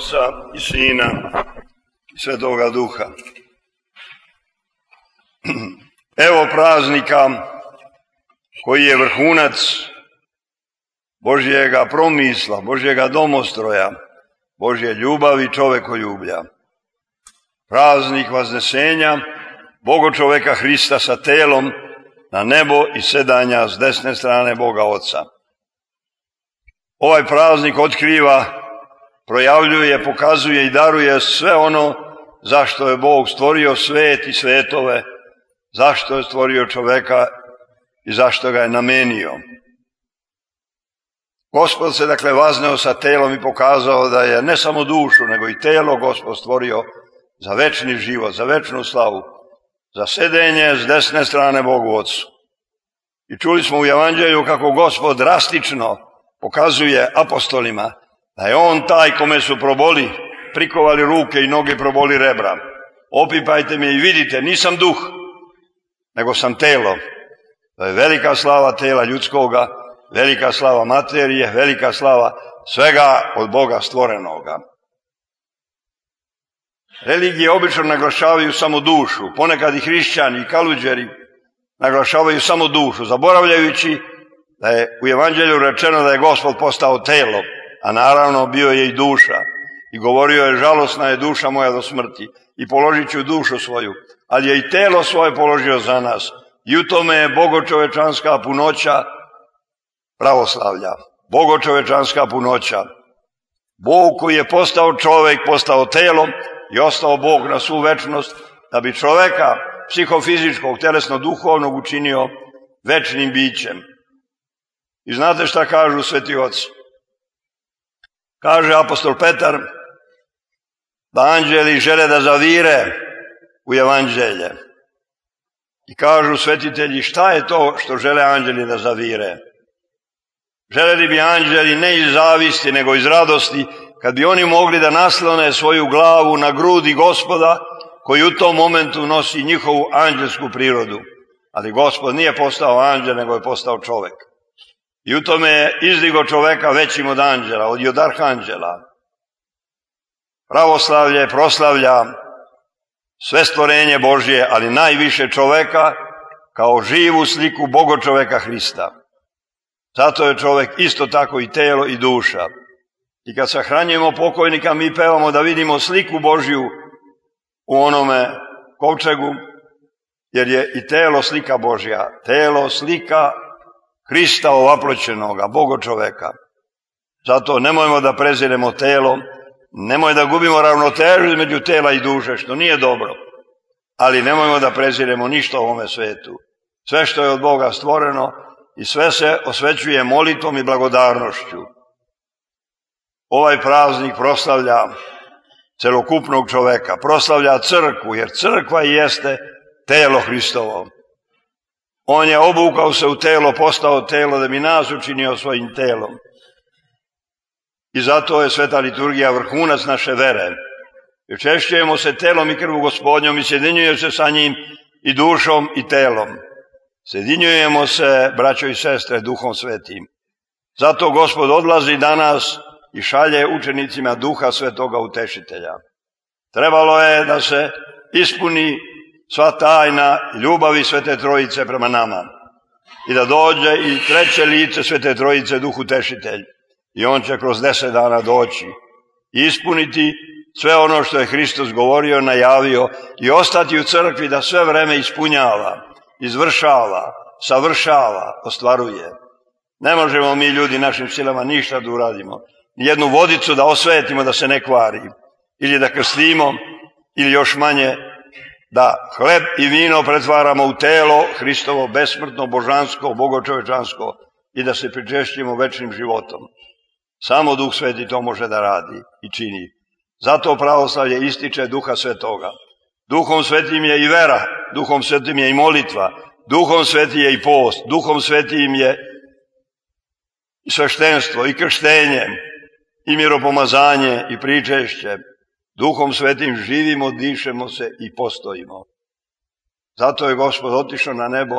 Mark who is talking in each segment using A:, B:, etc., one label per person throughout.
A: Oca i Sina i Svetoga Duha. Evo praznika koji je vrhunac Božjega promisla, Božjega domostroja, Božje ljubavi, čovekoljublja. Praznik Vaznesenja Boga čoveka Hrista sa telom na nebo i sedanja s desne strane Boga Oca. Ovaj praznik otkriva, projavljuje, pokazuje i daruje sve ono zašto je Bog stvorio svet i svetove, zašto je stvorio čoveka i zašto ga je namenio. Gospod se dakle vazneo sa telom i pokazao da je ne samo dušu, nego i telo Gospod stvorio za večni život, za večnu slavu, za sedenje s desne strane Bogu Otcu. I čuli smo u Evanđelju kako Gospod drastično pokazuje apostolima da je On taj kome su prikovali ruke i noge, proboli rebra. Opipajte me i vidite, nisam duh, nego sam telo. To je velika slava tela ljudskoga, velika slava materije, velika slava svega od Boga stvorenoga. Religije obično naglašavaju samo dušu, ponekad i hrišćani i kaluđeri naglašavaju samo dušu, zaboravljajući da je u Evanđelju rečeno da je Gospod postao telo, a naravno bio je i duša. I govorio je, žalosna je duša moja do smrti i položit ću dušu svoju, ali je i telo svoje položio za nas. I u tome je bogočovečanska punoća pravoslavlja, bogočovečanska punoća. Bog koji je postao čovek, postao telom i ostao Bog na svu večnost, da bi čoveka psihofizičkog, telesno-duhovnog učinio večnim bićem. I znate šta kažu sveti oci? Kaže apostol Petar da anđeli žele da zavire u Evanđelje. I kažu svetitelji, šta je to što žele anđeli da zavire? Želeli bi anđeli ne iz zavisti, nego iz radosti, kad bi oni mogli da naslone svoju glavu na grudi Gospoda, koji u tom momentu nosi njihovu anđelsku prirodu. Ali Gospod nije postao anđel, nego je postao čovek. I u tome je izdigo čoveka većim od anđela, od arhanđela. Pravoslavlje proslavlja sve stvorenje Božje, ali najviše čoveka kao živu sliku bogočoveka Hrista. Zato je čovek isto tako i telo i duša. I kad sahranjujemo pokojnika, mi pevamo da vidimo sliku Božju u onome kovčegu, jer je i telo slika Božja, telo slika Hrista ovaploćenoga, bogočoveka. Zato nemojmo da preziremo telo, nemoj da gubimo ravnotežu između tela i duše, što nije dobro, ali nemojmo da preziremo ništa u ovome svetu. Sve što je od Boga stvoreno i sve se osvećuje molitvom i blagodarnošću. Ovaj praznik proslavlja celokupnog čoveka, proslavlja crkvu, jer crkva i jeste telo Hristovo. On je obukao se u telo, postao telo da bi nas učinio svojim telom. I zato je sveta liturgija vrhunac naše vere. Učešćujemo se telom i krvu Gospodnjom i sjedinjujemo se sa njim i dušom i telom. Sjedinjujemo se, braćo i sestre, Duhom Svetim. Zato Gospod odlazi danas i šalje učenicima Duha Svetoga Utešitelja. Trebalo je da se ispuni sva tajna ljubavi Svete Trojice prema nama i da dođe i treće lice Svete Trojice, Duh Utešitelj. I on će kroz 10 dana doći i ispuniti sve ono što je Hristos govorio, najavio i ostati u crkvi da sve vreme ispunjava, izvršava, savršava, ostvaruje. Ne možemo mi ljudi našim silama ništa da uradimo. Nijednu vodicu da osvetimo da se ne kvari, ili da krstimo, ili još manje da hleb i vino pretvaramo u telo Hristovo besmrtno, božansko, bogočovečansko i da se pričešćimo večnim životom. Samo Duh Sveti to može da radi i čini. Zato pravoslavlje ističe Duha Svetoga. Duhom Svetim je i vera, Duhom Svetim je i molitva, Duhom Svetim je i post, Duhom Svetim je i sveštenstvo, i krštenje, i miropomazanje, i pričešće. Duhom Svetim živimo, dišemo se i postojimo. Zato je Gospod otišao na nebo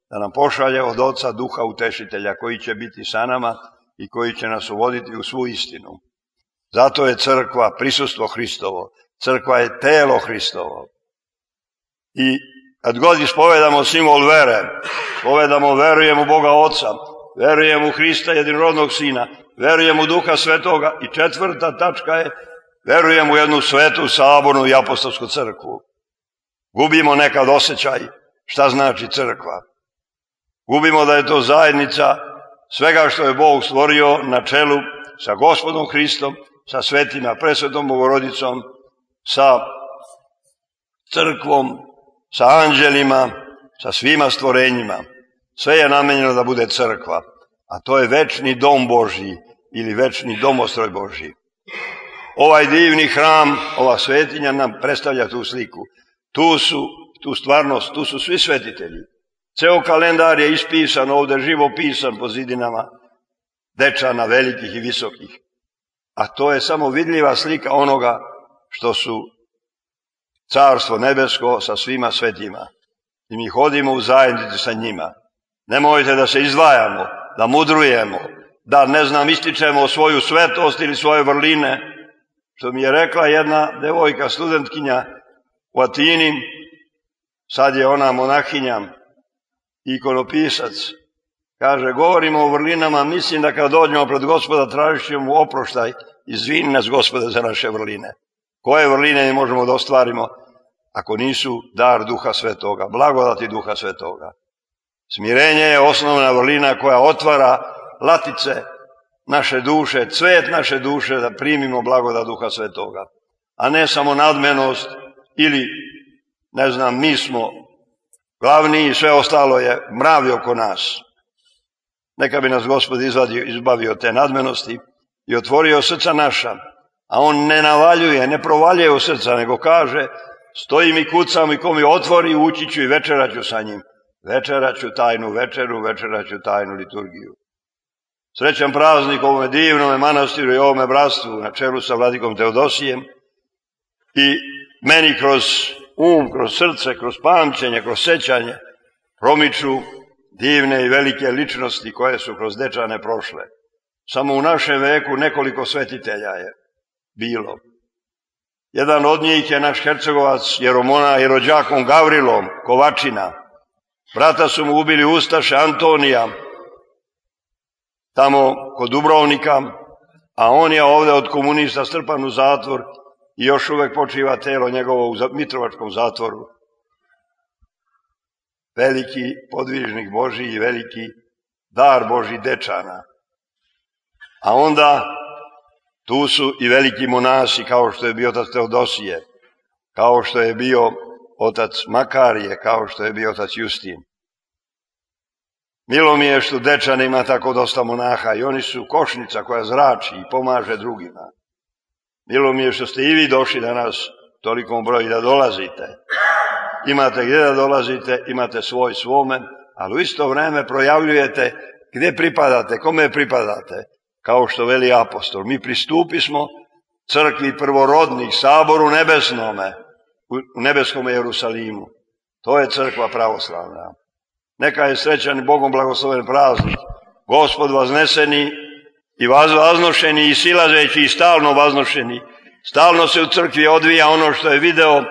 A: da nam pošalje od Oca Duha Utešitelja, koji će biti sa nama i koji će nas uvoditi u svu istinu. Zato je crkva prisustvo Hristovo. Crkva je telo Hristovo. I kad god ispovedamo simbol vere, ispovedamo verujem u Boga Oca, verujem u Hrista jedinorodnog Sina, verujem u Duha Svetoga i četvrta tačka je verujem u jednu svetu, sabornu i apostolsku crkvu. Gubimo nekad osjećaj šta znači crkva. Gubimo da je to zajednica svega što je Bog stvorio na čelu sa Gospodom Hristom, sa svetima, presvetom Bogorodicom, sa crkvom, sa anđelima, sa svima stvorenjima. Sve je namenjeno da bude crkva, a to je večni dom Božji ili večni domostroj Božji. Ovaj divni hram, ova svetinja nam predstavlja tu sliku. Tu stvarnost, tu su svi svetitelji. Ceo kalendar je ispisan ovde, živo pisan po zidinama Dečana, velikih i visokih. A to je samo vidljiva slika onoga što su Carstvo nebesko sa svima svetima. I mi hodimo u zajednici sa njima. Nemojte da se izdvajamo, da mudrujemo, da ističemo svoju svetost ili svoje vrline. Što mi je rekla jedna devojka, studentkinja u Atini, sad je ona monahinja, ikonopisac, kaže, govorimo o vrlinama, mislim da kad dođemo pred Gospoda tražit ćemo mu oproštaj, izvini nas Gospode za naše vrline. Koje vrline mi možemo da ostvarimo ako nisu dar Duha Svetoga, blagodati Duha Svetoga? Smirenje je osnovna vrlina koja otvara latice naše duše, cvet naše duše da primimo blagodat Duha Svetoga, a ne samo nadmenost ili, mi smo glavni i sve ostalo je mravi oko nas. Neka bi nas Gospod izbavio te nadmenosti i otvorio srca naša, a On ne navaljuje, ne provaljuje u srca, nego kaže, stojim i kucam i ko mi otvori, ući ću i večeraću sa njim. Večeraću tajnu večeru, večeraću tajnu liturgiju. Srećan praznik ovome divnome manastiru i ovome bratstvu na čelu sa vladikom Teodosijem i meni kroz kroz srce, kroz pamćenje, kroz sećanje promiču divne i velike ličnosti koje su kroz Dečane prošle. Samo u našem veku nekoliko svetitelja je bilo. Jedan od njih je naš hercegovac Jeromona i rođakom Gavrilom Kovačina. Brata su mu ubili ustaše Antonija, tamo kod Dubrovnika, a on je ovde od komunista strpan u zatvor i još uvek počiva telo njegovo u Mitrovačkom zatvoru. Veliki podvižnik Božji i veliki dar Božji Dečana. A onda tu su i veliki monasi kao što je bio otac Teodosije, kao što je bio otac Makarije, kao što je bio otac Justin. Milo mi je što Dečan ima tako dosta monaha i oni su košnica koja zrači i pomaže drugima. Milo mi je što ste i vi došli danas tolikom broju da dolazite. Imate gdje da dolazite, imate svoj svome, ali u isto vreme projavljujete gdje pripadate, kome pripadate. Kao što veli apostol, mi pristupismo crkvi prvorodnih, saboru nebesnome, u nebeskom Jerusalimu. To je crkva pravoslavna. Neka je srećan i Bogom blagosloven praznik. Gospod vazneseni i vaznošeni i silazeći i stalno vaznošeni. Stalno se u crkvi odvija ono što je video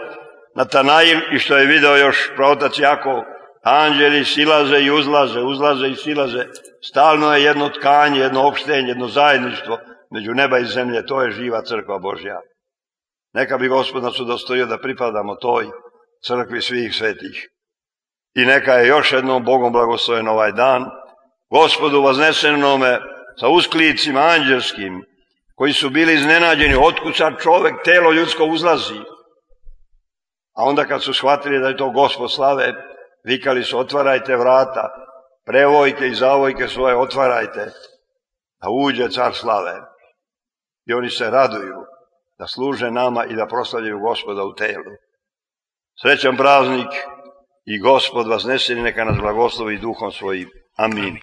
A: Natanail i što je video još praotac Jakov. Anđeli silaze i uzlaze, uzlaze i silaze. Stalno je jedno tkanje, jedno opštenje, jedno zajedništvo među neba i zemlje. To je živa crkva Božja. Neka bi Gospod nas udostojio da pripadamo toj crkvi svih svetih. I neka je još jednom Bogom blagosloven ovaj dan, Gospodu vaznesenome sa usklicima anđelskim, koji su bili iznenađeni, otkud sad čovek, telo ljudsko uzlazi. A onda kad su shvatili da je to Gospod slave, vikali su, otvarajte vrata, prevojke i zavojke svoje otvarajte, da uđe car slave. I oni se raduju da služe nama i da proslavljaju Gospoda u telu. Srećan praznik i Gospod vazneseni, neka nas blagoslovi duhom svojim. Amin.